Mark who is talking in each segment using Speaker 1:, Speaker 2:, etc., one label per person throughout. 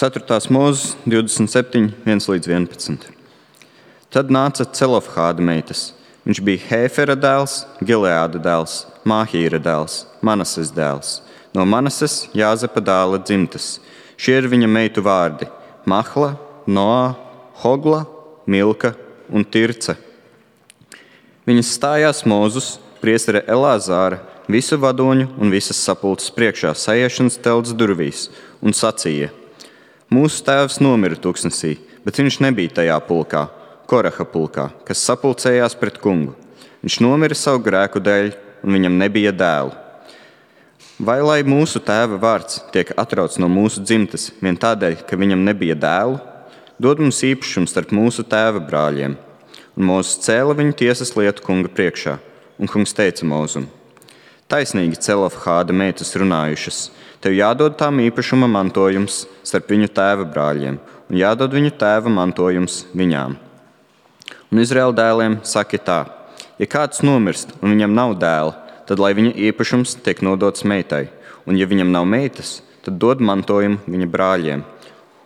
Speaker 1: 4. Mūzes 27, 1-11. Tad nāca Celofhāda meitas. Viņš bija Hēfera dēls, Gileāda dēls, Māhīra dēls, Manases dēls. No Manases Jāzepa dēla dzimtas. Šie ir viņa meitu vārdi – Mahla, Noā, Hogla, Milka un Tirce. Viņas stājās Mūzus, priestera Elāzāra, visu vadoņu un visas sapulces priekšā saiešanas telts durvīs un sacīja: Mūsu tēvs nomira tuksnesī, bet viņš nebija tajā pulkā, Koraha pulkā, kas sapulcējās pret kungu. Viņš nomira savu grēku dēļ, un viņam nebija dēlu. Vai lai mūsu tēva vārds tiek atrauts no mūsu dzimtes vien tādēļ, ka viņam nebija dēlu? Dod mums īpašumu starp mūsu tēva brāļiem. Un Mūzes cēla viņu tiesas lietu kunga priekšā, un kungs teica Mūzum: Taisnīgi Celofhāda meitas runājušas, tev jādod tām īpašuma mantojums starp viņu tēva brāļiem, un jādod viņu tēva mantojums viņām. Un Izraēla dēliem saki tā: ja kāds nomirst un viņam nav dēla, tad lai viņa īpašums tiek nodots meitai, un ja viņam nav meitas, tad dod mantojumu viņa brāļiem,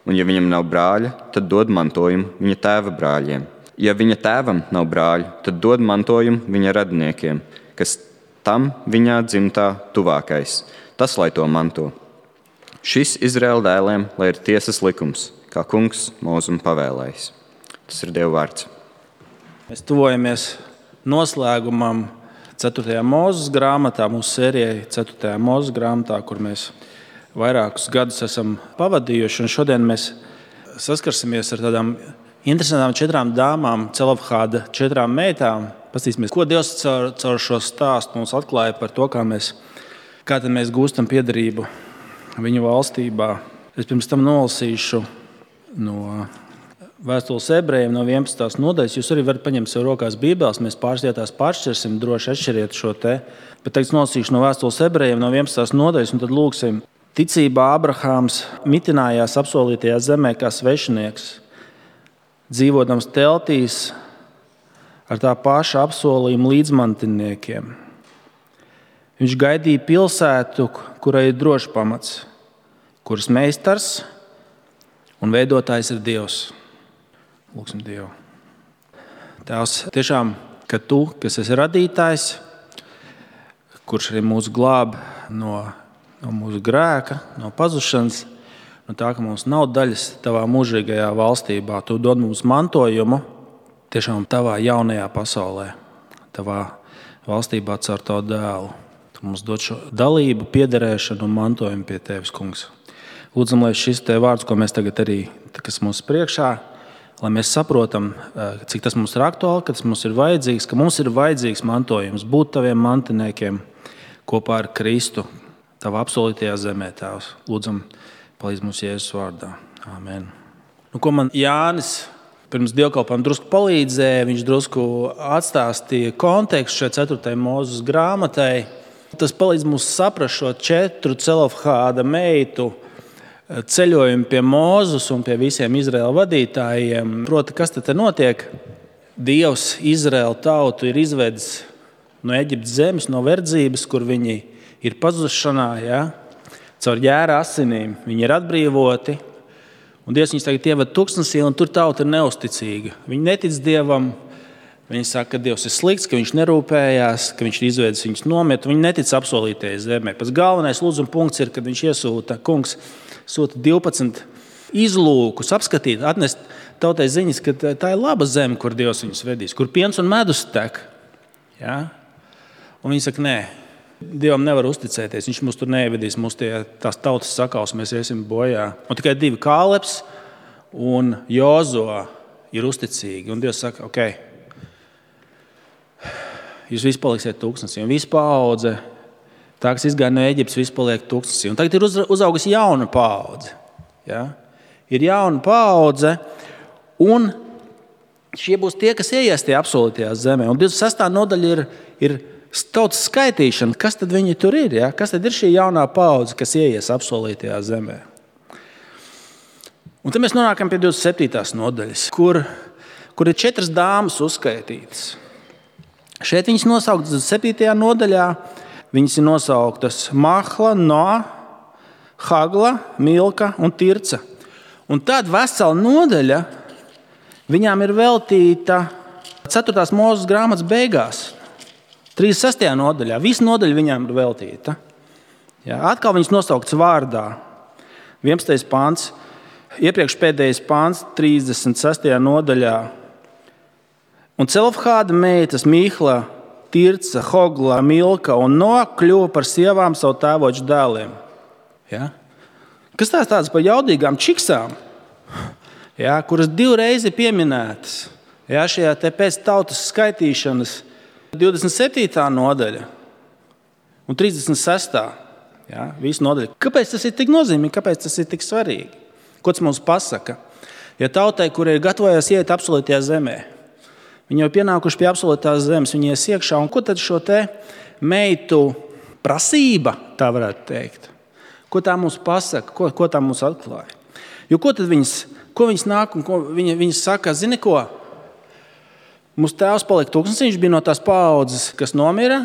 Speaker 1: un ja viņam nav brāļa, tad dod mantojumu viņa tēva brāļiem. Ja viņa tēvam nav brāļu, tad dod mantojumu viņa radiniekiem, kas tam viņā dzimtā tuvākais, tas lai to manto. Šis Izraēla dēliem, lai ir tiesas likums, kā kungs Mūzum pavēlējis. Tas ir Dieva vārds.
Speaker 2: Mēs tuvojamies noslēgumam 4. Mūzes grāmatā, mūsu sērijai 4. Mūzes grāmatā, kur mēs vairākus gadus esam pavadījuši. Un šodien mēs saskarsimies ar tādām interesantām 4 dāmām, Celofhāda 4 meitām. Pastīsimies, ko Dievs caur šo stāstu mums atklāja par to, kā tad mēs gūstam piederību viņu valstībā. Es pirms tam nolasīšu no Vēstules ebrejiem no 11. nodaļas. Jūs arī varat paņemt sev rokās bībeles, mēs pāris vietās pāršķirsim, droši atšķiriet šo te. Bet tagad nolasīšu no Vēstules ebrejiem no 11. nodaļas, un tad lūksim. Ticībā Abrahāms mitinājās apsolītajā zemē kā svešinieks, dzīvodams teltīs ar tā paša apsolījuma līdzmantiniekiem. Viņš gaidīja pilsētu, kurai ir drošs pamats, kuras meistars un veidotājs ir Dievs. Lūksim Dievu. Tēvs, tiešām, ka Tu, kas esi radītājs, kurš arī mūs glāb no mūsu grēka, no pazušanas, no tā, ka mums nav daļas Tavā mūžīgajā valstībā, Tu dod mums mantojumu tiešām Tavā jaunajā pasaulē, Tavā valstībā caur Tavu dēlu. Tu mums dod šo dalību, piederēšanu un mantojumu pie Tevis, kungs. Lūdzam, lai šis Te vārds, ko mēs tagad arī, kas mums priekšā, lai mēs saprotam, cik tas mums ir aktuāli, ka tas mums ir vajadzīgs, ka mums ir vajadzīgs mantojums, būt Taviem mantiniekiem kopā ar Kristu, Tavā apsolītajā zemē, Tēvs. Lūdzam, palīdz mums Jēzus vārdā. Āmen. Ko man Jānis pirms dievkalpojuma drusku palīdzēja, viņš drusku atstāstīja kontekstu šai 4. Mūzes grāmatai. Tas palīdz mums saprast šo 4 Celofhāda meitu ceļojumu pie Mūzes un pie visiem Izraēla vadītājiem. Proti, kas te notiek? Dievs Izraēla tautu ir izvedis no Eģiptes zemes, no verdzības, kur viņi ir pazušanā, caur jēra asinīm. Viņi ir atbrīvoti, un Dievs viņus tagad ieved tuksnesī, un tur tauta ir neusticīga. Viņi netic Dievam, viņi saka, ka Dievs ir slikts, ka viņš nerūpējās, ka viņš ir izvedis viņus nomiet. Viņi netic apsolītajai zemē. Pats galvenais lūdzuma punkts ir, kad viņš iesūta, kungs sūta 12 izlūkus apskatīt, atnest tautai ziņas, ka tā ir laba zeme, kur Dievs viņus vedīs, kur piens un medus tek. Ja? Un viņi saka, nē, Dievam nevar uzticēties, viņš mūs tur neievedīs, mūs tās tautas sakaus, mēs iesim bojā. Un tikai 2 Kālebs un Jozo ir uzticīgi. Un Dievs saka, ok, jūs visi paliksiet tuksnesī, un visi paudze, tā, kas izgāja no Eģiptes, viss paliek tuksnesī. Un tagad ir uzaugusi jauna paudze. Ja? Ir jauna paudze, un šie būs tie, kas ieies tie apsolītajā zemē. Un 26. nodaļa ir tautas skaitīšana. Kas tad viņi tur ir? Ja? Kas tad ir šī jaunā paudze, kas ieies apsolītajā zemē? Un tad mēs nonākam pie 27. nodaļas, kur ir 4 dāmas uzskaitītas. Šeit viņas nosauktas 7. nodaļā. Viņas ir nosauktas Mahla, Noā, Hagla, Milka un Tirce. Un tad vesela nodaļa viņām ir veltīta 4. Mūzes grāmatas beigās, 36. nodaļā. Visa nodaļa viņām ir veltīta. Ja, atkal viņas nosauktas vārdā. 11. pāns, iepriekš pēdējais pāns, 36. nodaļā. Un Celofhāda meitas Mihla, Tirca, Hogla, Milka un Noa kļuva par sievām savu tēvoču dēliem. Ja? Kas tāds par jaudīgām čiksām, ja, kuras 2 reizes pieminētas, ja, šajā te pēc tautas skaitīšanas 27. nodaļa un 36. Ja, visa nodaļa. Kāpēc tas ir tik nozīmīgi? Kāpēc tas ir tik svarīgi? Ko tas mums pasaka? Ja tautai, kur ir gatavojās iet absolūtajā zemē, viņi jau pienākuši pie absolūtās zemes, viņi ies iekšā, un ko tad šo te meitu prasība, tā varētu teikt? Ko tā mums pasaka? Ko tā mums atklāja? Jo ko tad viņas nāk un ko viņas saka? Zini ko? Mūsu tēvs palika tūkstnesis, viņš bija no tās paaudzes, kas nomira,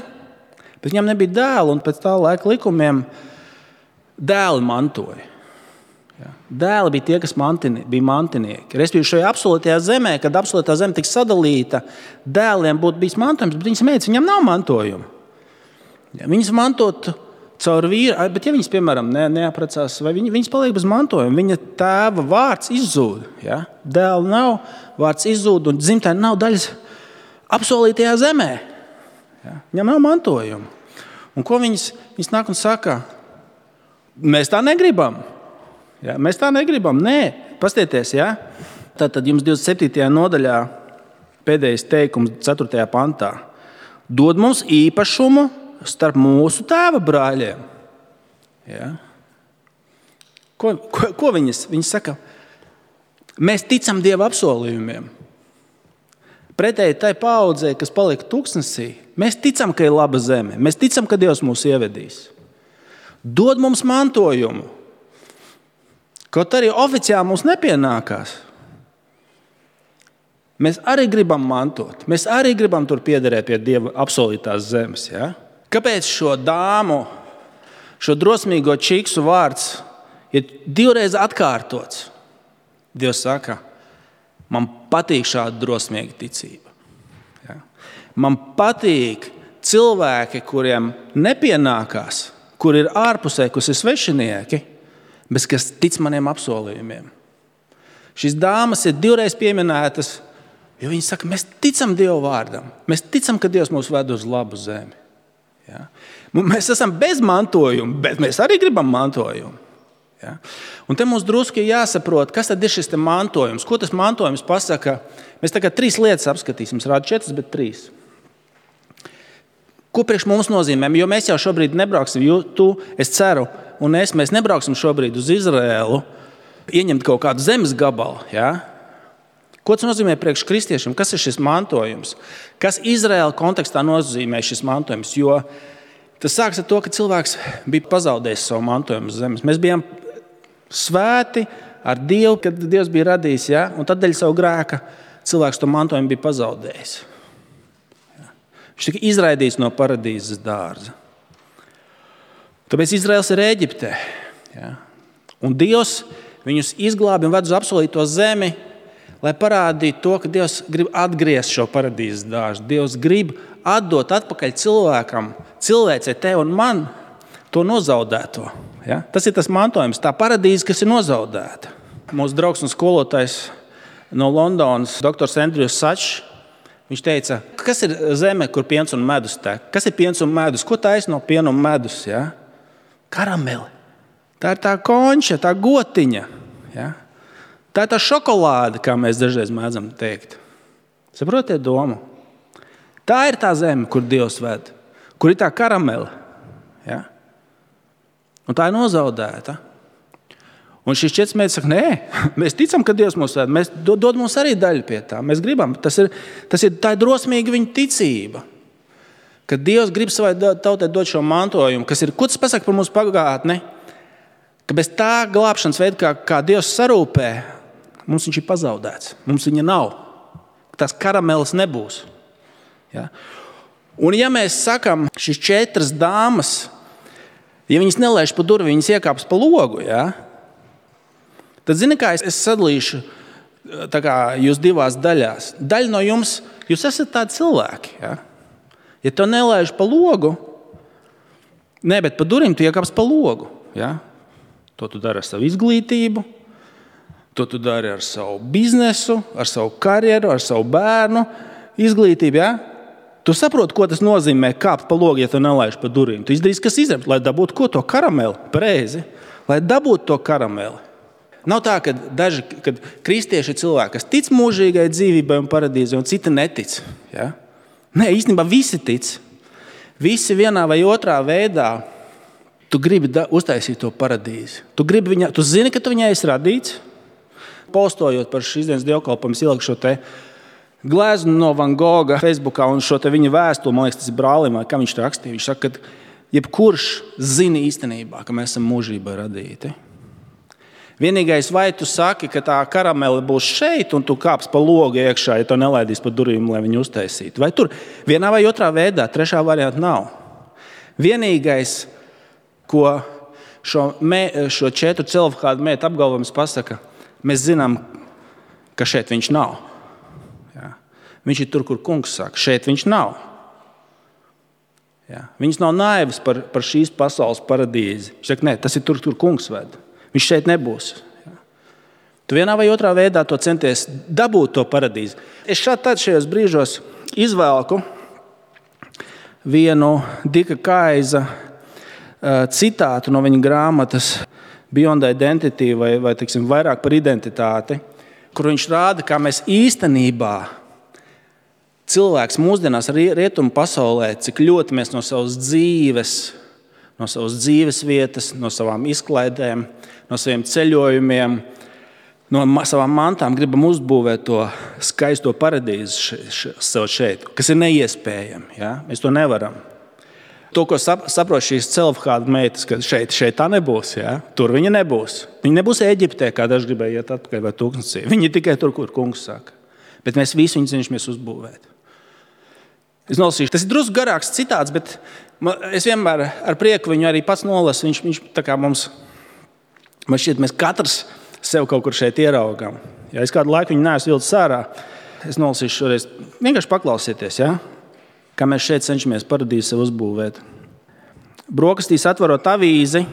Speaker 2: bet viņam nebija dēlu, un pēc tā laika likumiem dēli mantoja. Ja? Dēli bija tie, kas bija mantinieki. Respektīvi šajā absolūtajā zemē, kad absolūtā zeme tiks sadalīta, dēliem būtu bijis mantojums, bet viņas meitas, viņam nav mantojuma. Ja? Viņas mantot caur vīru, bet ja viņas, piemēram, neaprecās, vai viņas paliek bez mantojuma, viņa tēva vārds izzūd. Ja? Dēla nav, vārds izzūd, un dzimtē nav daļas apsolītajā zemē. Ja? Viņam nav mantojuma. Un ko viņas nāk un saka? Mēs tā negribam. Ja? Mēs tā negribam. Nē, pastieties, ja? Tātad jums 27. nodaļā pēdējais teikums 4. pantā. Dod mums īpašumu starp mūsu tēva brāļiem. Ja? Ko viņas saka? Mēs ticam Dieva apsolījumiem. Pretēji tai paaudzei, kas palika tūkstnesī, mēs ticam, ka ir laba zeme. Mēs ticam, ka Dievs mūs ievedīs. Dod mums mantojumu. Kaut arī oficiāli mums nepienākās. Mēs arī gribam mantot. Mēs arī gribam tur piederēt pie Dieva apsolītās zemes. Ja? Kāpēc šo dāmu, šo drosmīgo čiksu vārds ir 2 reizes atkārtots? Dievs saka, man patīk šāda drosmīga ticība. Ja? Man patīk cilvēki, kuriem nepienākās, kur ir ārpusē, kas ir svešinieki, bet kas tic maniem apsolījumiem. Šīs dāmas ir 2 reizes pieminētas, jo viņi saka, mēs ticam Dieva vārdam. Mēs ticam, ka Dievs mūs ved uz labu zemi. Ja? Mēs esam bez mantojuma, bet mēs arī gribam mantojumu. Ja? Un te mums drusku jāsaprot, kas tad ir šis mantojums. Ko tas mantojums pasaka? Mēs tagad 3 lietas apskatīsim. Es rādu 4, bet 3. Ko priekš mums nozīmē? Jo mēs jau šobrīd nebrauksim, es ceru, un mēs nebrauksim šobrīd uz Izraēlu, ieņemt kaut kādu zemes gabalu. Ja? Ko tas nozīmē priekš kristiešiem? Kas ir šis mantojums? Kas Izraēla kontekstā nozīmē šis mantojums? Jo tas sāks ar to, ka cilvēks bija pazaudējis savu mantojumu zemes. Mēs bijām svēti ar Dievu, kad Dievs bija radījis, ja? Un tad dēļ savu grēka cilvēks to mantojumu bija pazaudējis. Ja? Viņš tika izraidīts no paradīzes dārza. Tāpēc Izraels ir Ēģiptē. Ja? Un Dievs viņus izglābi un ved uz apsolīto zemi, lai parādītu to, ka Dievs grib atgriezt šo paradīzes dārzu. Dievs grib atdot atpakaļ cilvēkam, cilvēcei, tev un man, to nozaudēto. Ja? Tas ir tas mantojums, tā paradīze, kas ir nozaudēta. Mūsu draugs un skolotājs no Londonas, doktors Andrijs Sačs, viņš teica, kas ir zeme, kur piens un medus tek? Kas ir piens un medus? Ko taisa no piena un medus? Ja? Karameli. Tā ir tā konča, tā gotiņa. Ja? Tā ir tā šokolāde, kā mēs dažreiz mēdzam teikt. Saprotiet domu? Tā ir tā zeme, kur Dievs ved, kur ir tā karamele. Ja? Un tā ir nozaudēta. Un šis 4 meitas saka, nē, mēs ticam, ka Dievs mūs ved. Mēs dod mums arī daļu pie tā. Mēs gribam. Tā ir drosmīga viņa ticība. Ka Dievs grib savai tautai dot šo mantojumu, kas ir, ko tas pasaka par mūsu pagātni? Ka bez tā glābšanas veida, kā Dievs sarūpē, mums viņš ir pazaudēts. Mums viņa nav. Tās karameles nebūs. Ja? Un ja mēs sakam, šīs 4 dāmas, ja viņas nelaiž pa durvi, viņas iekāps pa logu, ja? Tad, zini kā, es sadalīšu tā kā jūs divās daļās. Daļa no jums, jūs esat tādi cilvēki. Ja, ja tu nelaiž pa logu, bet pa durvīm tu iekāps pa logu. Ja? To tu dari ar savu izglītību, to tu dari ar savu biznesu, ar savu karjeru, ar savu bērnu izglītību. Ja? Tu saproti, ko tas nozīmē kāpt pa logu, ja tu nelaiž pa durvīm. Tu izdarīsi, kas izdarīt, lai dabūtu ko to karameli, pareizi, lai dabūtu to karameli. Nav tā, ka kad kristieši ir cilvēki, kas tic mūžīgai dzīvībai un paradīzei, un citi netic. Ja? Nē, īstenībā visi tic. Visi vienā vai otrā veidā tu gribi uztaisīt to paradīzi. Tu zini, ka tu viņai esi radīts. Postojot par šīs dienas dievkalpojumu, ieliku šo te gleznu no Van Gogha Facebookā un šo te viņa vēstuli, man liekas, tas ir brālim, vai kā viņš rakstīja. Viņš saka, ka jebkurš zina īstenībā, ka mēs esam mūžībā radīti. Vienīgais, vai tu saki, ka tā karamele būs šeit un tu kāps pa logu iekšā, ja tu nelaidīs pa durvīm, lai viņu uztaisītu. Vai tur vienā vai otrā veidā, trešā varianta nav. Vienīgais, ko šo 4 celofhādu mētu apgalvojums pasaka, mēs zinām, ka šeit viņš nav. Ja. Viņš ir tur, kur kungs saka, šeit viņš nav. Ja. Viņš nav naivs par šīs pasaules paradīzi. Viņš saka, nē, tas ir tur, kur kungs ved. Viņš šeit nebūs. Ja. Tu vienā vai otrā veidā to centies dabūt to paradīzi. Es šajos brīžos izvēlku vienu Dika Kaiza citātu no viņa grāmatas Beyond Identity vai teiksim, vairāk par identitāti, kur viņš rāda, kā mēs īstenībā cilvēks mūsdienās rietumu pasaulē, cik ļoti mēs no savas dzīves vietas, no savām izklaidēm, no saviem ceļojumiem, no savām mantām gribam uzbūvēt to skaisto paradīzi sev šeit, kas ir neiespējami. Ja? Mēs to nevaram. To, ko saprot šīs celofhādu meitas, ka šeit tā nebūs. Ja? Tur viņa nebūs. Viņa nebūs Eģiptē, kā daži gribēja iet atpakaļ vai tūkstnesī. Viņa ir tikai tur, kur kungs saka. Bet mēs visi viņu cenšamies uzbūvēt. Es nolasīšu. Tas ir drusku garāks citāts, bet es vienmēr ar prieku viņu arī pats nolasu. Viņš tā kā mums, man šķiet, mēs katrs sev kaut kur šeit ieraugam. Ja es kādu laiku viņu neesmu vilcis ārā, es nolasīšu šoreiz. Vienkārši paklausieties, ja? Kā mēs šeit cenšamies paradīzi sev uzbūvēt. Brokastīs atverot avīzi,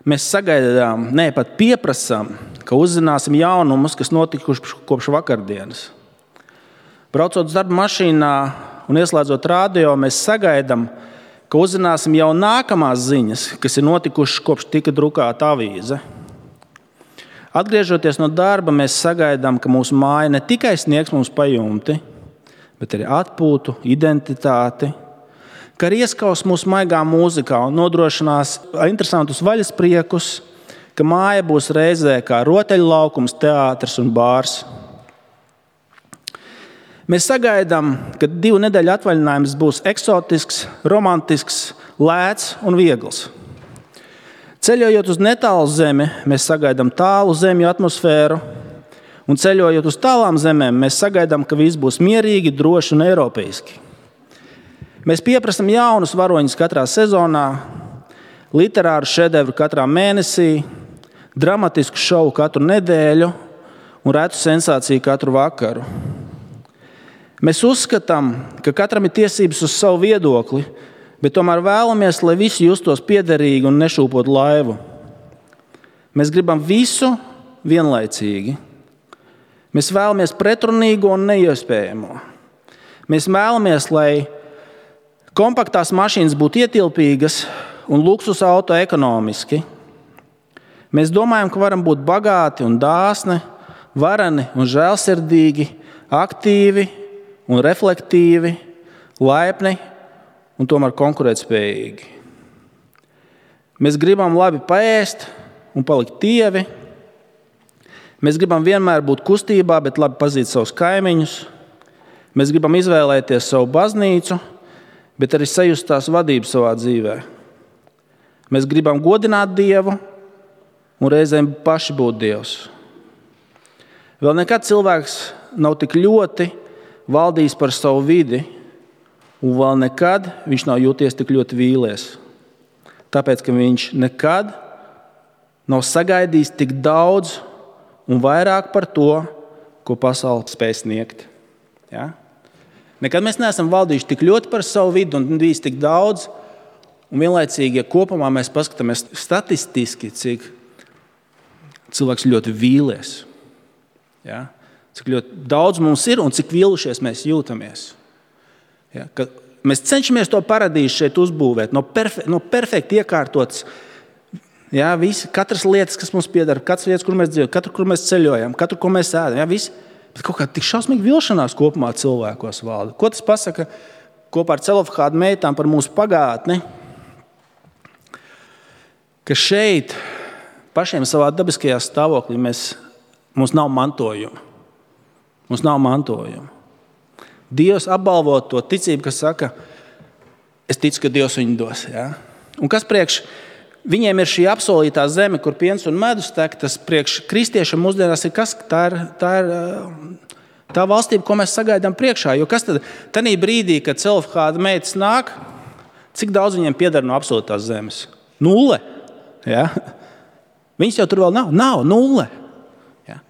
Speaker 2: mēs sagaidām, pat pieprasām, ka uzzināsim jaunumus, kas notikuši kopš vakardienas. Braucot uz darba mašīnā un ieslēdzot radio, mēs sagaidām, ka uzzināsim jau nākamās ziņas, kas ir notikušas kopš tika drukāta avīze. Atgriežoties no darba, mēs sagaidām, ka mūsu māja ne tikai sniegs mums pajumti, bet arī atpūtu, identitāti, ka arī ieskaus mūsu maigā mūzikā un nodrošinās interesantus vaļaspriekus, ka māja būs reizē kā rotaļlaukums, teātris un bārs. Mēs sagaidām, ka 2 nedēļu atvaļinājums būs eksotisks, romantisks, lēts un viegls. Ceļojot uz netālu zemi, mēs sagaidām tālu zemju atmosfēru, un ceļojot uz tālām zemēm, mēs sagaidām, ka viss būs mierīgi, droši un eiropeiski. Mēs pieprasām jaunus varoņus katrā sezonā, literāru šedevru katrā mēnesī, dramatisku šovu katru nedēļu un retu sensāciju katru vakaru. Mēs uzskatām, ka katram ir tiesības uz savu viedokli, bet tomēr vēlamies, lai visi justos piederīgi un nešūpot laivu. Mēs gribam visu vienlaicīgi. Mēs vēlamies pretrunīgo un neiespējamo. Mēs vēlamies, lai kompaktās mašīnas būtu ietilpīgas un luksus auto ekonomiski. Mēs domājam, ka varam būt bagāti un dāsni, vareni un žēlsirdīgi, aktīvi un reflektīvi, laipni un tomēr konkurētspējīgi. Mēs gribam labi paēst un palikt tievi. Mēs gribam vienmēr būt kustībā, bet labi pazīt savus kaimiņus. Mēs gribam izvēlēties savu baznīcu, bet arī sajust tās vadību savā dzīvē. Mēs gribam godināt Dievu un reizēm paši būt Dievs. Vēl nekad cilvēks nav tik ļoti valdījis par savu vidi, un vēl nekad viņš nav jūties tik ļoti vīlies. Tāpēc, ka viņš nekad nav sagaidījis tik daudz un vairāk par to, ko pasaule spēj sniegt. Ja? Nekad mēs neesam valdījuši tik ļoti par savu vidu un bijis tik daudz, un vienlaicīgi, ja kopumā mēs paskatāmies statistiski, cik cilvēks ļoti vīlies. Ja? Cik ļoti daudz mums ir un cik vīlušies mēs jūtamies. Ja? Ka mēs cenšamies to paradīzi šeit uzbūvēt, no perfekti iekārtotas. Ja? Katras lietas, kas mums pieder, katras vietas, kur mēs dzīvojam, katru, kur mēs ceļojam, katru, ko mēs ēdam. Ja? Visi. Bet kaut kā tik šausmīgi vilšanās kopumā cilvēkos valda. Ko tas pasaka kopā ar Celofhāda meitām par mūsu pagātni? Ka šeit pašiem savā dabiskajā stāvoklī mums nav mantojuma. Mums nav mantojuma. Dievs apbalvo to ticību, kas saka, es ticu, ka Dievs viņu dos. Ja? Un kas priekš viņiem ir šī apsolītā zeme, kur piens un medus tek, tas priekš kristiešiem mūsdienās ir kas? Tā ir tā valstība, ko mēs sagaidām priekšā. Jo kas tad tanī brīdī, kad Celofhāda meitas nāk, cik daudz viņiem pieder no apsolītās zemes? 0. Ja? Viņas jau tur vēl nav. Nav 0. Ja?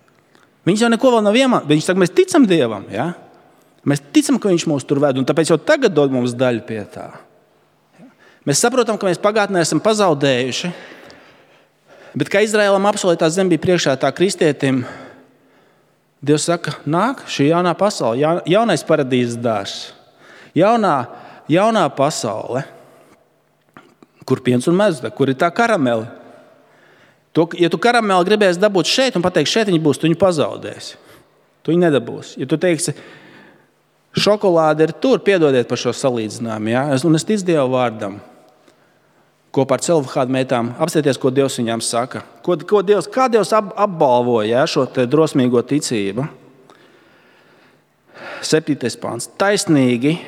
Speaker 2: Viņas jau neko vēl nav iemācījušas. Viņas saka, mēs ticam Dievam. Ja? Mēs ticam, ka Viņš mūs tur ved, un tāpēc jau tagad dod mums daļu pie tā. Mēs saprotam, ka mēs pagātnē esam pazaudējuši, bet kā Izraēlam apsolītā zeme bija priekšā tā kristietim, Dievs saka, nāk šī jaunā pasaule, jaunais paradīzes dārzs, jaunā pasaule, kur piens un medus, kur ir tā karamele. Ja tu karameli gribēsi dabūt šeit un pateikt, šeit viņa būs, tu viņu pazaudēsi. Tu viņu nedabūsi. Ja tu teiksi, šokolāde ir tur, piedodiet par šo salīdzinājumu, ja? Un es ticu Dieva vārdam. Kopā ar Celofhāda meitām apstieties, ko Dievs viņām saka. Kā Dievs apbalvoja šo te drosmīgo ticību. 7. pants. Taisnīgi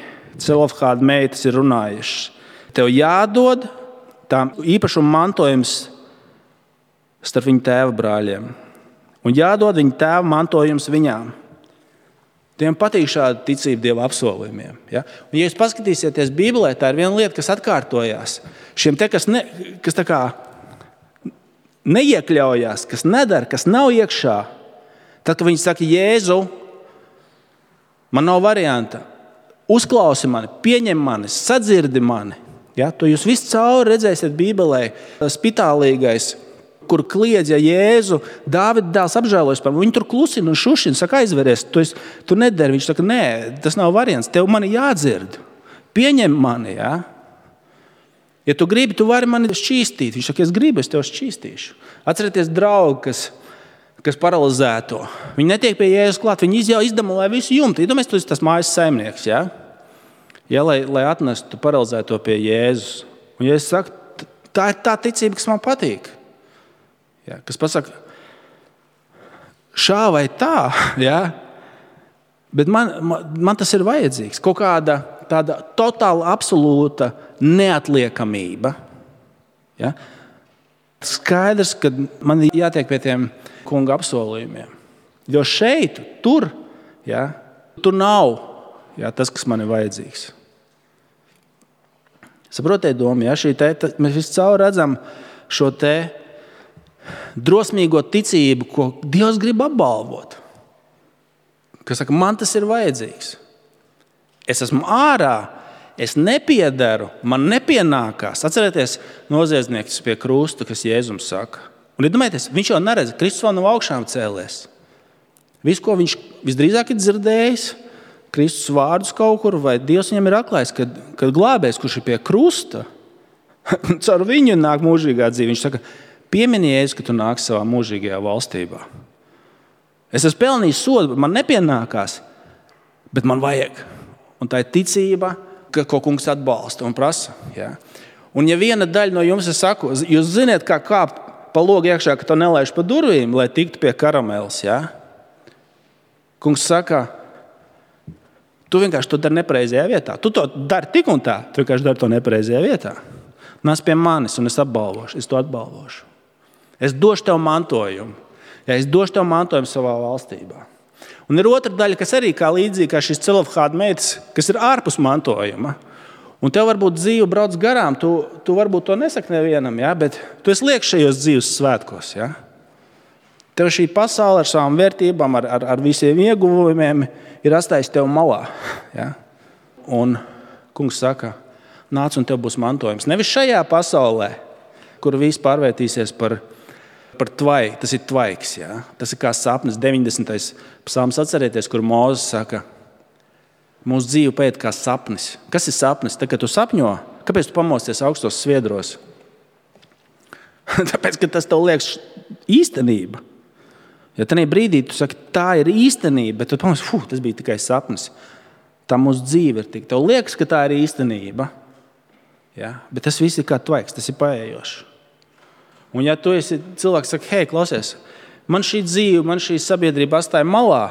Speaker 2: Celofhāda meitas ir runājušas. Tev jādod tām īpašuma mantojums starp viņa tēva brāļiem. Un jādod viņa tēva mantojums viņām. Tiem patīk šāda ticība Dieva apsolījumiem. Ja? Un, ja jūs paskatīsieties Bībelē, tā ir viena lieta, kas atkārtojās. Šiem te, kas tā kā neiekļaujās, kas nedara, kas nav iekšā, tad, kad viņi saka, Jēzu, man nav varianta, uzklausi mani, pieņem mani, sadzirdi mani. Ja? To jūs visu cauri redzēsiet Bībelē, spitālīgais, kur kliedz, ja Jēzu, Dāvida dēls apžēlojas par viņu, tur klusina un šušina, saka, aizveries, tu nedari. Viņš saka, nē, tas nav variants, tev mani jādzird, pieņem mani. Ja? Ja tu gribi, tu vari mani šķīstīt. Viņš saka, es gribu, es tev šķīstīšu. Atcerieties draugu, kas paralizēto. Viņi netiek pie Jēzus klāt, viņi izdemolē visu jumtu. Iedomājies, tu esi tas mājas saimnieks, ja? Ja, lai atnestu paralizēto pie Jēzus. Un Jēzus saka, tā ir tā ticība, kas man patīk. Ja, kas pasaka, šā vai tā, ja? Bet man tas ir vajadzīgs. Kaut kāda tāda totāla, absolūta neatliekamība. Ja? Skaidrs, ka man ir jātiek pie tiem kunga apsolījumiem. Jo šeit, tur nav tas, kas man ir vajadzīgs. Saprotiet domu, ja? Mēs visu cauri redzam šo te drosmīgo ticību, ko Dievs grib apbalvot. Kas saka, man tas ir vajadzīgs. Es esmu ārā, es nepiedaru, man nepienākās. Atcerieties noziedznieks pie krusta, kas Jēzums saka. Un iedomājieties, viņš jau neredz, Kristus vēl nav augšām cēlies. Visu, ko viņš visdrīzāk ir dzirdējis, Kristus vārdus kaut kur, vai Dievs viņam ir atklājis, kad glābējs, kurš ir pie krusta, caur viņu nāk mūžīgā dzīve. Viņš saka, piemini Jēzu, ka tu nāksi savā mūžīgajā valstībā. Es esmu pelnījis sodu, man nepienākās, bet man vajag. Un tā ir ticība, ko kungs atbalsta un prasa. Ja? Un ja viena daļa no jums, es saku, jūs ziniet, kā kāpt pa logu iekšā, ka to nelaiž pa durvīm, lai tiktu pie karameles. Ja? Kungs saka, tu vienkārši to dari nepareizajā vietā. Tu to dari tik un tā, tu vienkārši dari to nepareizajā vietā. Nāc pie manis un es apbalvošu, es to atbalvošu. Es došu tev mantojumu. Ja, es došu tev mantojumu savā valstībā. Un ir otra daļa, kas arī kā līdzīgi kā šis Celofhāda meitas, kas ir ārpus mantojuma. Un tev varbūt dzīve brauc garām, tu varbūt to nesaki nevienam, ja, bet tu esi lieks šajos dzīves svētkos. Ja. Tev šī pasaule ar savām vērtībām, ar visiem ieguvumiem ir atstājis tev malā. Ja? Un kungs saka, nāc un tev būs mantojums. Nevis šajā pasaulē, kur viss pārvērtīsies par tvaiku. Tas ir tvaiks. Ja? Tas ir kā sapnis. 90. psalms atcerieties, kur Mūzes saka, mūsu dzīve paiet kā sapnis. Kas ir sapnis? Tad, kad tu sapņo, kāpēc tu pamosties augstos sviedros? Tāpēc, ka tas tev liekas īstenība. Ja tajā brīdī tu saki, tā ir īstenība, bet tu pamosties, tas bija tikai sapnis. Tā mūsu dzīve ir tik. Tev liekas, ka tā ir īstenība. Ja? Bet tas viss ir kā tvaiks, tas ir paējošs. Un ja tu esi cilvēks, saka, hei, klausies, man šī dzīve, man šī sabiedrība atstāja malā,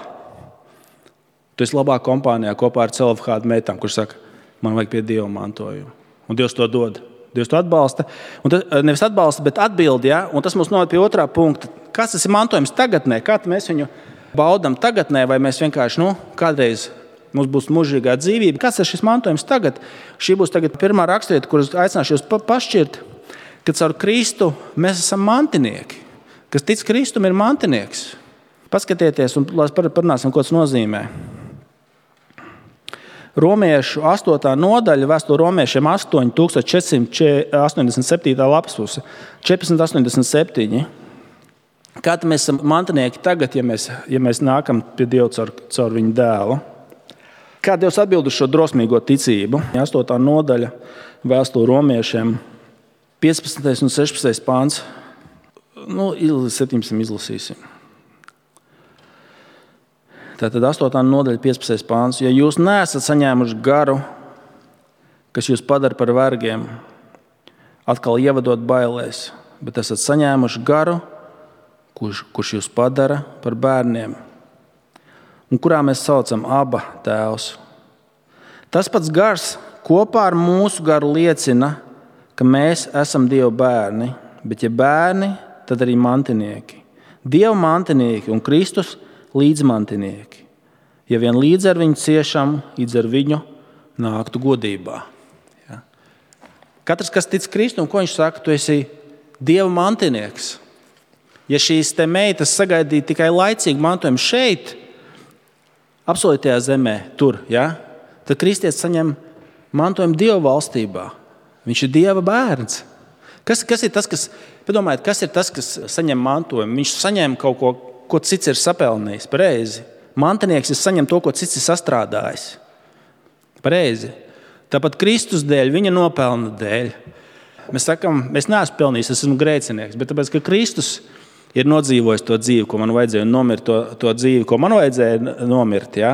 Speaker 2: tu esi labā kompānijā kopā ar Celofhāda meitām, kurš saka, man vajag pie Dieva mantojumu. Un Dievs to dod. Dievs to atbalsta. Un tas, nevis atbalsta, bet atbild, ja? Un tas mums noved pie otrā punkta. Kas tas ir mantojums tagadnē? Kā mēs viņu baudam tagadnē, vai mēs vienkārši, kādreiz mums būs mūžīgā dzīvība? Kas ir šis mantojums tagad? Šī būs tagad pirmā rakstvieta, kuras aicināšu jūs pašķirt, kad caur Kristu mēs esam mantinieki. Kas tic Kristum ir mantinieks. Paskatieties un parunāsim, ko tas nozīmē. Romiešu 8. nodaļa, vēstule romiešiem 8487. lapas puse, 1487. Kāda mēs esam mantinieki tagad, ja mēs nākam pie Dieva caur viņu dēlu? Kā Dievs atbild uz šo drosmīgo ticību? 8. nodaļa, vēstule romiešiem, 15. un 16. pāns. 17 izlasīsim. Tātad 8. nodaļa, 15. pāns. Ja jūs neesat saņēmuši garu, kas jūs padara par vergiem, atkal ievadot bailēs, bet esat saņēmuši garu, kurš jūs padara par bērniem, un kurā mēs saucam Aba tēvs. Tas pats gars kopā ar mūsu garu liecina, ka mēs esam Dieva bērni, bet ja bērni, tad arī mantinieki. Dieva mantinieki un Kristus līdzmantinieki. Ja vien līdz ar viņu ciešam, līdz ar viņu nāktu godībā. Ja? Katrs, kas tic Kristum, ko viņš saka, tu esi Dieva mantinieks. Ja šīs te meitas sagaidīja tikai laicīgu mantojumu šeit, apsolītajā zemē, tur, ja? Tad kristietis saņem mantojumu Dieva valstībā. Viņš ir Dieva bērns. Kas ir tas, kas saņem mantojumu? Viņš saņem kaut ko cits ir sapelnījis. Pareizi. Mantinieks saņem to, ko cits ir sastrādājis. Pareizi. Tāpat Kristus dēļ, viņa nopelna dēļ. Mēs sakam, es neesmu pelnījis, es esmu grēcinieks, bet tāpēc, ka Kristus ir nodzīvojis to dzīvi, ko man vajadzēja, un nomirt to dzīvi, ko man vajadzēja nomirt. Ja?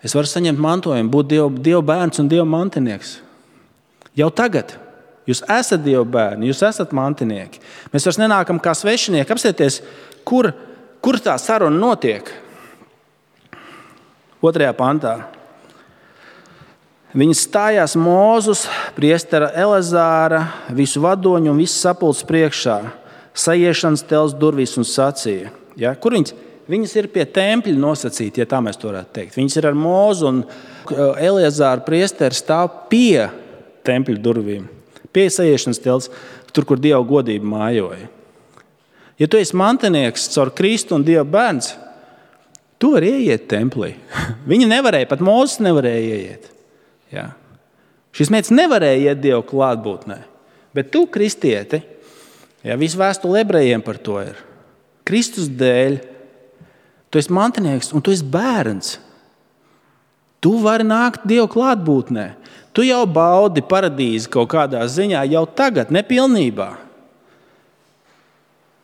Speaker 2: Es varu saņemt mantojumu, būt Dieva bērns un Dieva mantinieks. Jau tagad. Jūs esat Dieva bērni, jūs esat mantinieki. Mēs vairs nenākam kā svešinieki. Apsieties, kur tā saruna notiek? 2. pantā. Viņi stājās Mūzus, priestera Elezāra, visu vadoņu un visu sapulces priekšā, sajiešanas telts durvīs un sacīja. Ja? Kur viņas? Viņas ir pie tempļa nosacīti, ja tā mēs to varētu teikt. Viņas ir ar Mūzu un Elezāru priesteri stāv pie tempļa durvīm. Pie sajiešanas telts, tur, kur Dieva godība mājoja. Ja tu esi mantinieks caur Kristu un Dieva bērns, tu vari ieiet templī. Viņi nevarēja, pat Mūzes nevarēja ieiet. Ja. Šis meitas nevarēja iet Dieva klātbūtnē. Bet tu, kristieti, ja, visu vēstuli ebrejiem par to ir. Kristus dēļ tu esi mantinieks un tu esi bērns. Tu vari nākt Dieva klātbūtnē. Tu jau baudi paradīzi kaut kādā ziņā jau tagad, nepilnībā.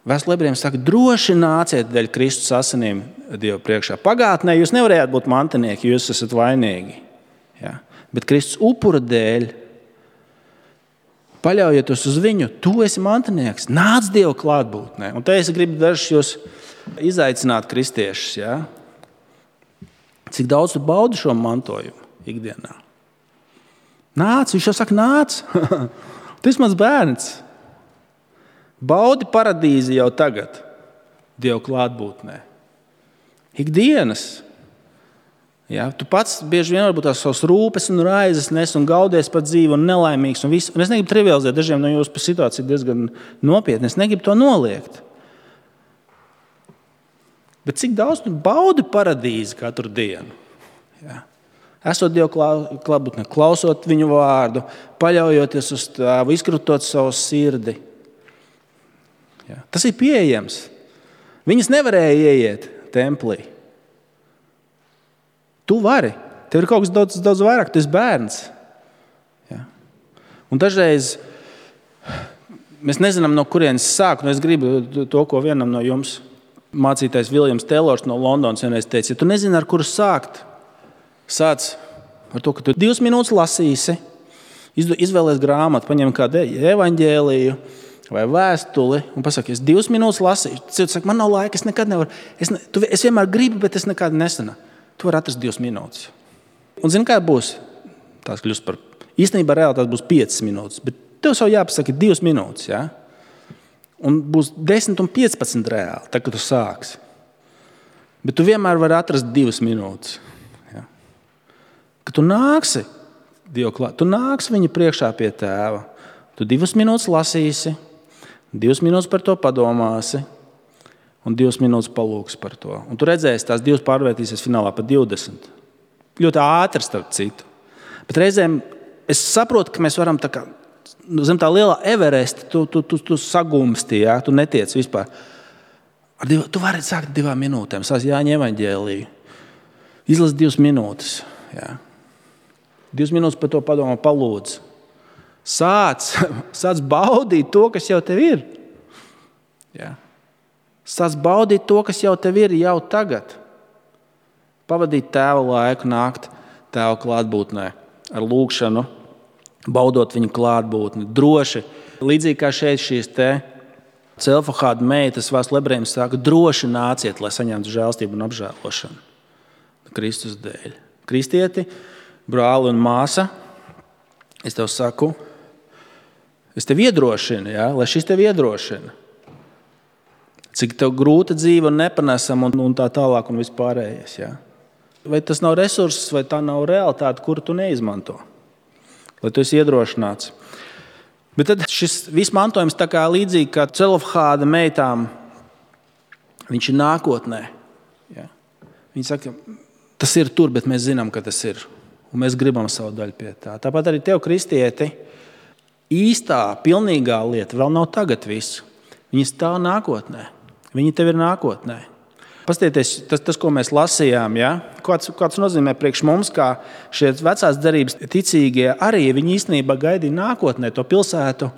Speaker 2: Vēstule ebrejiem saka, droši nāciet dēļ Kristus asinīm Dieva priekšā. Pagātnē jūs nevarējāt būt mantinieki, jūs esat vainīgi. Ja? Bet Kristus upura dēļ, paļaujieties uz viņu, tu esi mantinieks, nāc Dieva klātbūtnē. Un te es gribu dažus jūs izaicināt kristiešus. Ja? Cik daudz tu baudi šo mantojumu ikdienā? Nāc, viņš jau saka, nāc. Tu esi mans bērns. Baudi paradīzi jau tagad Dieva klātbūtnē. Ikdienas. Ja, tu pats bieži vien varbūt tās savas rūpes un raizes nes un gaudies par dzīvi un nelaimīgs. Un es negribu trivializēt, dažiem no jūsu situācija diezgan nopietni. Es negribu to noliegt. Bet cik daudz tu baudi paradīzi katru dienu? Ja. Esot Dievu klātbūtnē, klausot viņu vārdu, paļaujoties uz Tēvu, izkrutot savu sirdi. Ja. Tas ir pieejams. Viņas nevarēja ieiet templī. Tu vari. Tev ir kaut kas daudz vairāk. Tu esi bērns. Ja. Un dažreiz mēs nezinām, no kurienes sākt. Es gribu to, ko vienam no jums mācītais Viljams Teilors no Londonas vienreiz teica. Ja tu nezini, ar kuru sākt, sāc ar to, ka tu 2 minūtes lasīsi, izvēlies grāmatu, paņem kādu evaņģēliju vai vēstuli un pasaki, es 2 minūtes lasīšu. Cilvēks saka, man nav laika, es nekad nevaru. Es vienmēr gribu, bet es nekad nesanu. Tu vari atrast 2 minūtes. Un zini, kā būs? Tās kļūst par... Īstenībā reāli tās būs 5 minūtes, bet tev savu jāpasaka 2 minūtes, ja? Un būs 10 un 15 reāli, tā, kad tu sāksi. Bet tu vienmēr vari atrast 2 minūtes. Kad tu nāksi Dievu klāt, tu nāksi viņa priekšā pie Tēva. Tu 2 minūtes lasīsi, 2 minūtes par to padomāsi un 2 minūtes palūksi par to. Un tu redzēsi, tās 2 pārvērtīsies finālā par 20. Ļoti ātri starp citu. Bet reizēm es saprotu, ka mēs varam tā kā zem tā lielā Everesta, tu sagumsti, ja? Tu netiec vispār. Tu vari sākt 2 minūtēm, sāc Jāņa evaņģēliju. Izlasi 2 minūtes. Ja? 2 minūtes par to padomā, palūdz. Sāc baudīt to, kas jau tev ir. Ja? Sāc baudīt to, kas jau tev ir jau tagad. Pavadīt Tēva laiku, nākt Tēva klātbūtnē ar lūgšanu, baudot viņu klātbūtni. Droši, līdzīgi kā šeit šīs te Celofhāda meitas Vēstulē Ebrejiem saka, droši nāciet, lai saņemtu žēlstību un apžēlošanu. Kristus dēļ. Kristieti, brāli un māsa, es tev saku, es tev iedrošinu, ja? Lai šis tev iedrošina. Cik tev grūta dzīve un nepanesama un tā tālāk un vispārējais. Ja? Vai tas nav resurss, vai tā nav realitāte, kuru tu neizmanto? Lai tu esi iedrošināts. Bet tad šis viss mantojums tā kā līdzīgi kā Celofhāda meitām, viņš ir nākotnē. Ja? Viņi saka, tas ir tur, bet mēs zinām, ka tas ir. Un mēs gribam savu daļu pie tā. Tāpat arī tev, kristieti, īstā, pilnīgā lieta vēl nav tagad visu. Viņi stāv nākotnē. Viņi tev ir nākotnē. Pastieties, tas, ko mēs lasījām, ja? Kāds nozīmē priekš mums, kā šie vecās derības ticīgie arī, viņi īstenībā gaidīja nākotnē to pilsētu,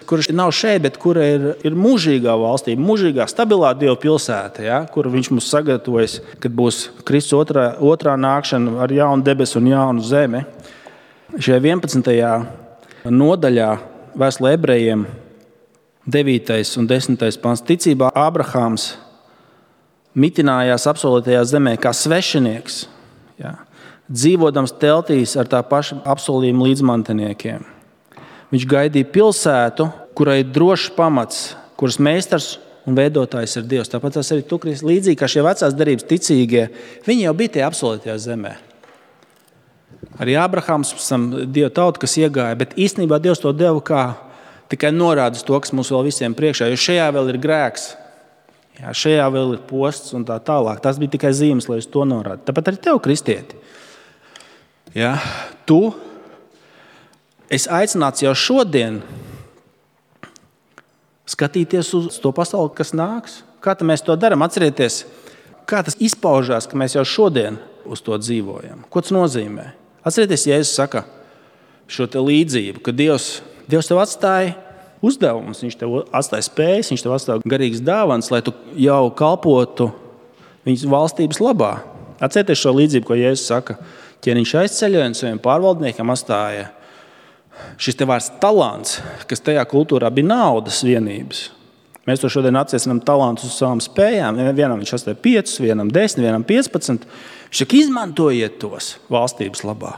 Speaker 2: kurš nav šeit, bet kura ir mūžīgā valstība, mūžīgā, stabilā Dieva pilsēta, ja? Kur viņš mums sagatavojas, kad būs Kristus otrā nākšana ar jaunu debesu un jaunu zemi. Šajā 11. nodaļā Vēstulē Ebrejiem 9. un 10. pants. Ticībā Ābrahāms mitinājās apsolītajā zemē kā svešinieks, ja? Dzīvodams teltīs ar tā paša apsolījuma līdzmantiniekiem. Viņš gaidīja pilsētu, kurai ir drošs pamats, kuras meistars un veidotājs ir Dievs. Tāpat tas arī tu, Kristus, līdzīgi kā šie vecās derības ticīgie, viņi jau bija tie apsolītajā zemē. Arī Ābrahāms Dieva tauta, kas iegāja, bet īstenībā Dievs to deva kā tikai norādas to, kas mums vēl visiem priekšā, jo šajā vēl ir grēks, jā, šajā vēl ir posts un tā tālāk. Tas bija tikai zīmes, lai uz to norāda. Tāpat arī tev, kristieti. Jā, es aicināts jau šodien skatīties uz to pasauli, kas nāks. Kā mēs to darām? Atcerieties, kā tas izpaužās, ka mēs jau šodien uz to dzīvojam. Ko tas nozīmē? Atcerieties, Jēzus saka šo te līdzību, ka Dievs tev atstāja uzdevumus, viņš tev atstāja spējas, viņš tev atstāja garīgas dāvanas, lai tu jau kalpotu viņas valstības labā. Atcerieties šo līdzību, ko Jēzus saka. Ķēniņš aizceļoja un saviem pārvaldniekiem atstāja šis te vārds talants, kas tajā kultūrā bija naudas vienības. Mēs to šodien atsiecinām talantus uz savām spējām. Vienam viņš atstāja 5, vienam 10, vienam 15. Viņš saka, izmantojiet tos valstības labā.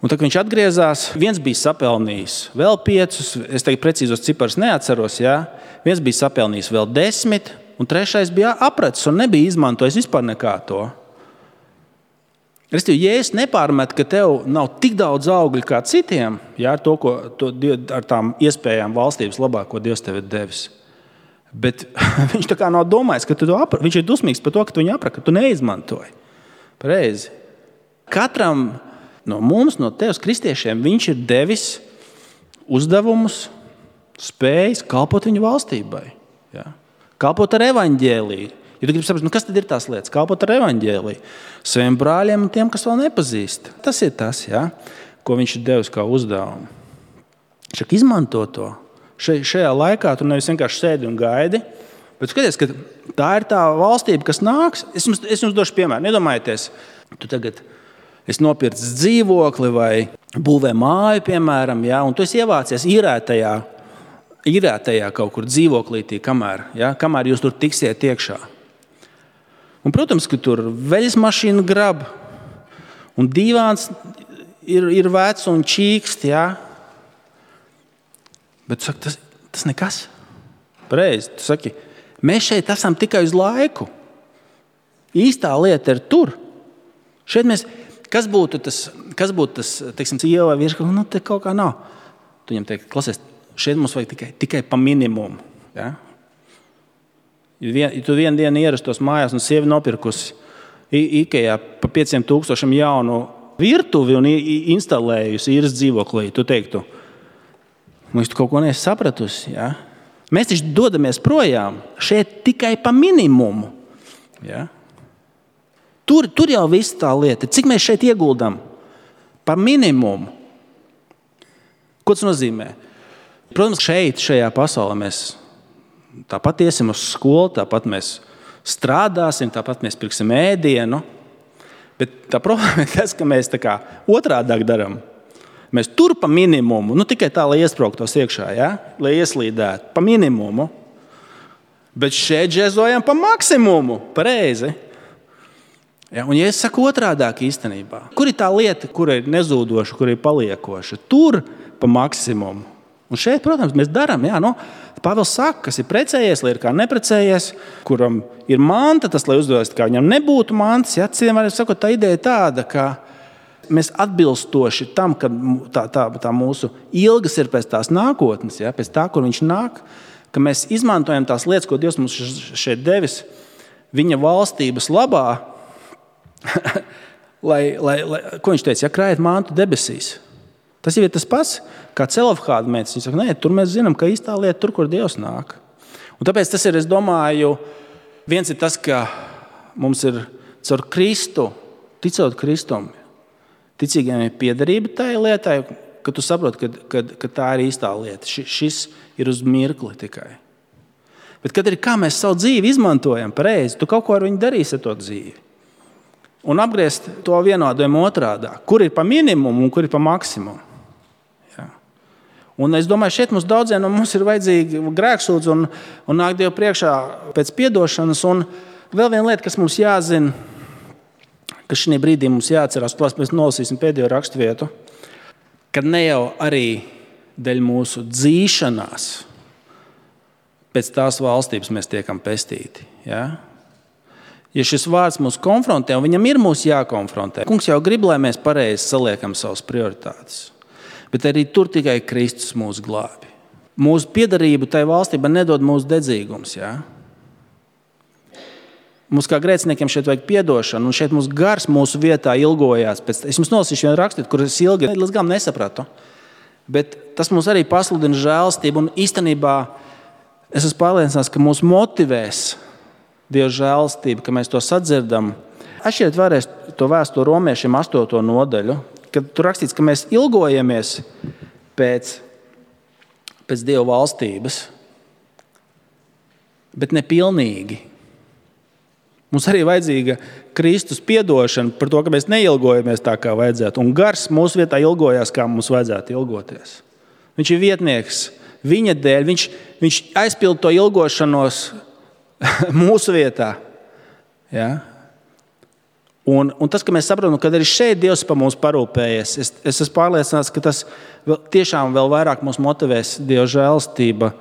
Speaker 2: Un tad, kad viņš atgriezās, viens bija sapelnījis vēl 5, es tagad precīzos ciparus neatceros, jā. Viens bija sapelnījis vēl 10, un 3. bija apracis un nebija izmantojis vispār nekā to. Ja es nepārmetu, ka tev nav tik daudz augļu kā citiem, jā, ar tām iespējām valstības labā, ko Dievs tev ir devis. Bet viņš tā kā nav domājis, ka viņš ir dusmīgs par to, ka tu viņu apraki, ka tu neizmantoji. Pareizi. Katram no mums, no tevis kristiešiem, viņš ir devis uzdevumus, spējas kalpot viņu valstībai. Ja? Kalpot ar evaņģēliju. Ja tu gribi saprast, kas tad ir tās lietas? Kalpot ar evaņģēliju. Saviem brāļiem un tiem, kas vēl nepazīst. Tas ir tas, ja? Ko viņš ir devis kā uzdevumu. Šak izmanto to. Šajā laikā tu nevis vienkārši sēdi un gaidi, bet skaties, ka tā ir tā valstība, kas nāks. Es jums došu piemēru. Nedomājieties, tu tagad esi nopircis dzīvokli vai būvē māju, piemēram, ja? Un tu esi ievācies īrētajā kaut kur dzīvoklītī, kamēr jūs tur tiksiet iekšā. Un, protams, ka tur veļas mašīna grab, un dīvāns ir vecs un čīkst, ja? Bet tu saki, tas nekas. Pareizi, tu saki, mēs šeit esam tikai uz laiku. Īstā lieta ir tur. Šeit mēs, kas būtu tas, teiksim, ieva vai virsma, te kaut kā nav. Tu viņam teiksi, klausies, šeit mums vajag tikai pa minimumu. Ja? Ja tu vienu dienu ierastos mājās un sievi nopirkusi Ikejā pa 500,000 jaunu virtuvi un instalējusi īres dzīvoklī, tu teiktu, tu kaut ko neesi sapratusi. Ja? Mēs taču dodamies projām šeit tikai pa minimumu. Ja? Tur jau viss tā lieta. Cik mēs šeit ieguldam? Pa minimumu. Ko tas nozīmē? Protams, šajā pasaulē mēs tāpat iesim uz skolu, tāpat mēs strādāsim, tāpat mēs pirksim ēdienu. Bet tā problēma ir tas, ka mēs tā kā otrādāk darām. Mēs tur pa minimumu, tikai tā, lai iesprāgtos iekšā, ja? Lai ieslīdētu pa minimumu. Bet šeit džezojam pa maksimumu, pareizi. Ja? Un ja es saku otrādāk īstenībā, kur ir tā lieta, kur ir nezūdoša, kur ir paliekoša? Tur pa maksimumu. Un šeit, protams, mēs darām, Pāvils saka, kas ir precējies, lai ir kā neprecējies, kuram ir manta, tas, lai uzdodas, kā viņam nebūtu mantas. Ja? Citiem vārdiem sakot, tā ideja ir tāda, ka mēs atbilstoši tam, ka tā mūsu ilgas ir pēc tās nākotnes, ja? Pēc tā, kur viņš nāk, ka mēs izmantojam tās lietas, ko Dievs mums šeit devis, viņa valstības labā, ko viņš teica, krājiet mantu debesīs. Tas jau ir tas pats, kā Celofhāda meitas. Viņa saka, nē, tur mēs zinām, ka īstā lieta tur, kur Dievs nāk. Un tāpēc tas ir, es domāju, viens ir tas, ka mums ir caur Kristu, ticot Kristum, ticīgiem ir piederība tai lietai, ka tu saproti, ka tā ir īstā lieta. Šis ir uz mirkli tikai. Bet kad ir kā mēs savu dzīvi izmantojam pareizi, tu kaut ko ar viņu darīsi ar to dzīvi. Un apgriezt to vienādojumu otrādā. Kur ir pa minimumu un kur ir pa maksimumu. Un es domāju, šeit mums daudziem no mums ir vajadzīgi grēksūdz un nāk Dievu priekšā pēc piedošanas. Un vēl viena lieta, kas mums jāzina, kas šī brīdī mums jāatcerās, mēs nolasīsim pēdējo raksturvietu, kad ne jau arī dēļ mūsu dzīšanās pēc tās valstības mēs tiekam pestīti. Ja? Ja šis vārds mūs konfrontē, un viņam ir mūs jākonfrontē, kungs jau grib, lai mēs pareizi saliekam savas prioritātes. Bet arī tur tikai Kristus mūs glābi. Mūsu piederību tai valstībai nedod mūsu dedzīgums. Ja? Mums kā grēciniekiem šeit vajag piedošanu, un šeit mums gars mūsu vietā ilgojās. Es jums nolasīšu vienu rakstīt, kur es ilgi līdz galam nesapratu. Bet tas mums arī pasludina žēlastību, un īstenībā es esmu pārliecināts, ka mūs motivēs Dieva žēlastība, ka mēs to sadzirdam. Atšķiriet vēlreiz to vēstuli Romiešiem 8. nodaļu. Kad tur rakstīts, ka mēs ilgojamies pēc Dieva valstības, bet ne pilnīgi. Mums arī vajadzīga Kristus piedošana par to, ka mēs neilgojamies tā, kā vajadzētu. Un gars mūsu vietā ilgojās, kā mums vajadzētu ilgoties. Viņš ir vietnieks viņa dēļ. Viņš aizpild to ilgošanos mūsu vietā. Ja? Un tas, ka mēs saprotam, ka arī šeit Dievs par mums parūpējies, es esmu pārliecināts, ka tas tiešām vēl vairāk mūs motivēs Dieva žēlastība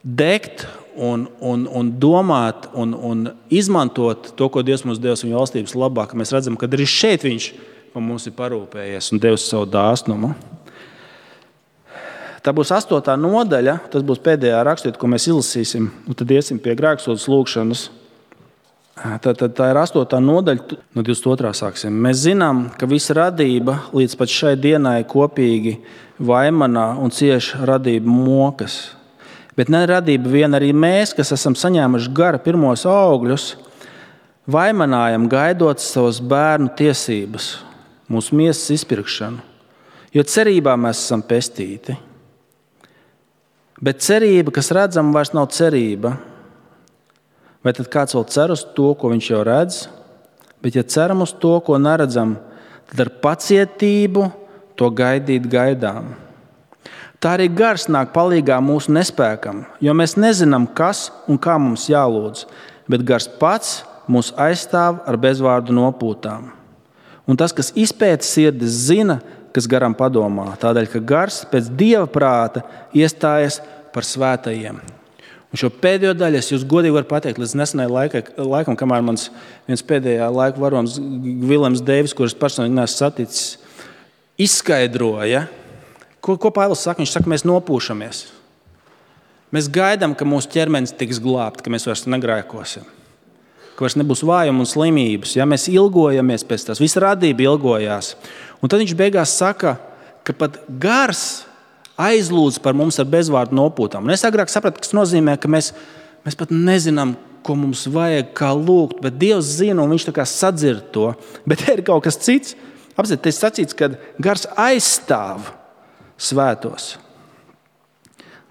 Speaker 2: degt un domāt un izmantot to, ko Dievs mums devis viņa valstības labā, ka mēs redzam, ka arī šeit viņš par mums ir parūpējies un devis savu dāsnumu. Tā būs 8. nodaļa, tas būs pēdējā raksturvieta, ko mēs izlasīsim, un tad iesim pie grēksodas lūgšanas. Tā ir 8. nodaļa, no 22. sāksim. Mēs zinām, ka visa radība līdz pat šai dienai kopīgi vaimanā un cieš radību mokas. Bet ne radība vien, arī mēs, kas esam saņēmuši gara pirmos augļus, vaimanājam gaidot savas bērnu tiesības, mūsu miesas izpirkšanu, jo cerībā mēs esam pestīti. Bet cerība, kas redzama, vairs nav cerība. Vai tad kāds vēl cer uz to, ko viņš jau redz? Bet ja ceram uz to, ko neredzam, tad ar pacietību to gaidīt gaidām. Tā arī gars nāk palīgā mūsu nespēkam, jo mēs nezinām, kas un kā mums jālūdz, bet gars pats mūs aizstāv ar bezvārdu nopūtām. Un tas, kas izpēta sirdis, zina, kas garam padomā, tādēļ, ka gars pēc Dieva prāta iestājas par svētajiem. Un šo pēdējo daļu es jūs godīgi varu pateikt, līdz nesenai laikam, kamēr mans viens pēdējā laika varonis Vilems Deivis, kurus personīgi neesmu saticis, izskaidroja, ko Pāvils saka. Viņš saka, mēs nopūšamies. Mēs gaidām, ka mūsu ķermenis tiks glābts, ka mēs vairs negrēkosim, ka vairs nebūs vājuma un slimības. Ja? Mēs ilgojamies pēc tās, visa radība ilgojās. Un tad viņš beigās saka, ka pat gars aizlūdz par mums ar bezvārdu nopūtām. Un es agrāk sapratu, kas nozīmē, ka mēs pat nezinām, ko mums vajag, kā lūgt, bet Dievs zina, un viņš tā kā sadzird to. Bet ir kaut kas cits. Apzināties, sacīts, ka gars aizstāv svētos.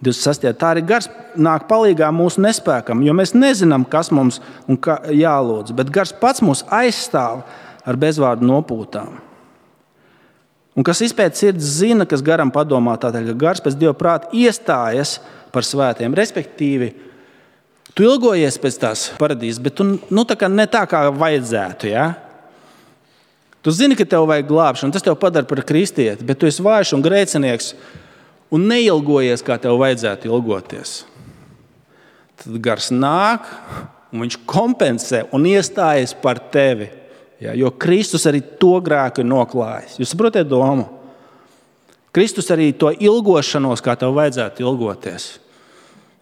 Speaker 2: 26. Tā arī gars nāk palīgā mūsu nespēkam, jo mēs nezinām, kas mums un kā jālūdz, bet gars pats mūs aizstāv ar bezvārdu nopūtām. Un kas izpēt sirds zina, kas garam padomā, tātad, ka gars pēc Dieva prāta iestājas par svētiem. Respektīvi, tu ilgojies pēc tās paradīzes, bet tu tā kā ne tā, kā vajadzētu, ja? Tu zini, ka tev vajag glābšanu, tas tev padara par kristieti, bet tu esi vājš un grēcinieks un neilgojies, kā tev vajadzētu ilgoties. Tad gars nāk un viņš kompensē un iestājas par tevi, ja? Jo Kristus arī to grēku ir noklājis. Jūs saprotiet domu? Kristus arī to ilgošanos, kā tev vajadzētu ilgoties.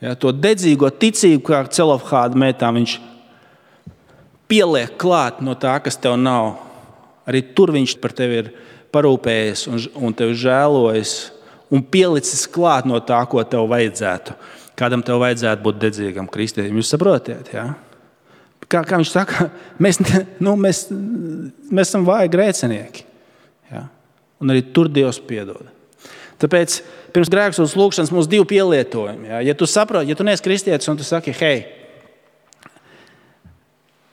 Speaker 2: Ja? To dedzīgo ticību, kā Celofhāda mētām, viņš pieliek klāt no tā, kas tev nav. Arī tur viņš par tevi ir parūpējies un tevi žēlojis un pielicis klāt no tā, ko tev vajadzētu. Kādam tev vajadzētu būt dedzīgam kristietim. Jūs saprotiet, ja? Kā viņš saka, mēs esam vāji grēcinieki. Ja? Un arī tur Dievs piedod. Tāpēc pirms grēksodas lūgšanas mums 2 pielietojumi. Ja? Ja tu saproti, ja tu neesi kristietis un tu saki, hei,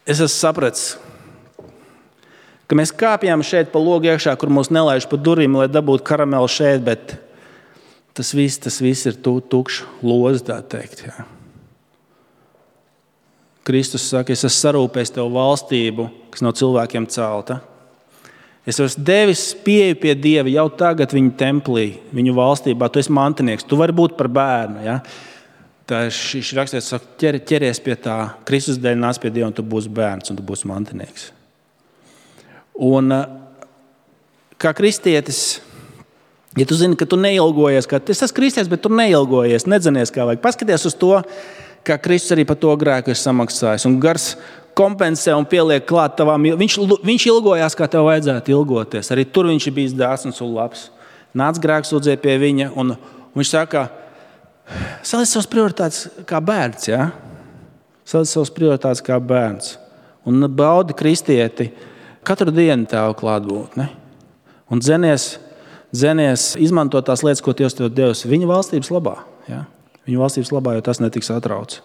Speaker 2: es esmu sapratis, ka mēs kāpjām šeit pa logu iekšā, kur mūs nelaiž pa durvīm, lai dabūtu karamelu šeit, bet tas viss ir tukšs lozi, tā teikt. Jā. Kristus saka, es esmu sarūpējis tev valstību, kas no cilvēkiem celta. Es esmu devis pieeju pie Dieva jau tagad viņa templī, viņu valstībā. Tu esi mantinieks, tu vari būt par bērnu. Ja? Tā šis rakstietis saka, ķeries pie tā, Kristus dēļ nāc pie Dieva, un tu būsi bērns, un tu būsi mantinieks. Un kā kristietis, ja tu zini, ka tu neilgojies, ka es esmu kristietis, bet tu neilgojies, nedzinies, kā vajag. Paskaties uz to, kā Kristus arī par to grēku ir samaksājis. Un gars kompensē un pieliek klāt tavām. Viņš ilgojās, kā tev vajadzētu ilgoties. Arī tur viņš ir bijis dāsns un labs. Nāc grēksūdzē pie viņa, un viņš saka, saliec savas prioritātes kā bērns. Ja? Saliec savas prioritātes kā bērns. Un baudi kristieti katru dienu tev klātbūtni. Un dzenies, izmanto tās lietas, ko Dievs tev devis viņa valstības labā. Ja? Viņa valstības labā, jo tas netiks atrauts.